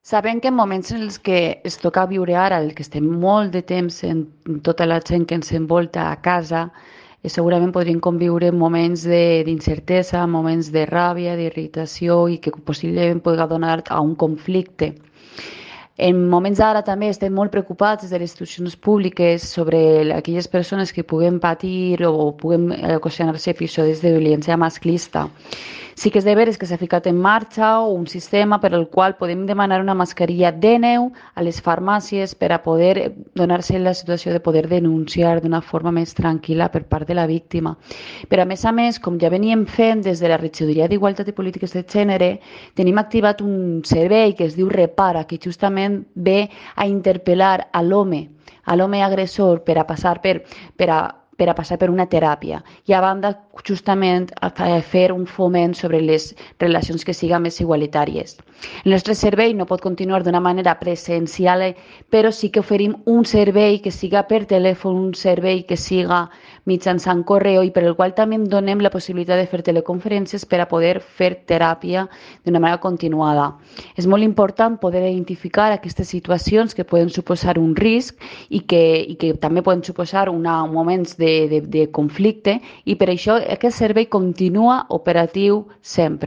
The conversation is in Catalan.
Sabem que en moments en els que es toca viure ara, el que estem molt de temps en tota la gent que ens envolta a casa, segurament podríem conviure moments d'incertesa, moments de ràbia, d'irritació i que possiblement pugui donar a un conflicte. En moments d'ara també estem molt preocupats des de les institucions públiques sobre aquelles persones que puguen patir o puguen ocasionar-se episodis de violència masclista. Sí que és de veres que s'ha ficat en marxa un sistema per al qual podem demanar una mascarilla de neu a les farmàcies per a poder donar-se la situació de poder denunciar d'una forma més tranquil·la per part de la víctima. Però a més, com ja veníem fent des de la Regidoria d'Igualtat i Polítiques de Gènere, tenim activat un servei que es diu Repara, que justament ve a interpel·lar a l'home agressor per a passar per una teràpia i a banda justament a fer un foment sobre les relacions que siguin més igualitàries. El nostre servei no pot continuar d'una manera presencial, però sí que oferim un servei que siga per telèfon, un servei que siga mitjançant correu i per el qual també donem la possibilitat de fer teleconferències per a poder fer teràpia d'una manera continuada. És molt important poder identificar aquestes situacions que poden suposar un risc i que també poden suposar moments de conflicte i per això aquest servei continua operatiu sempre.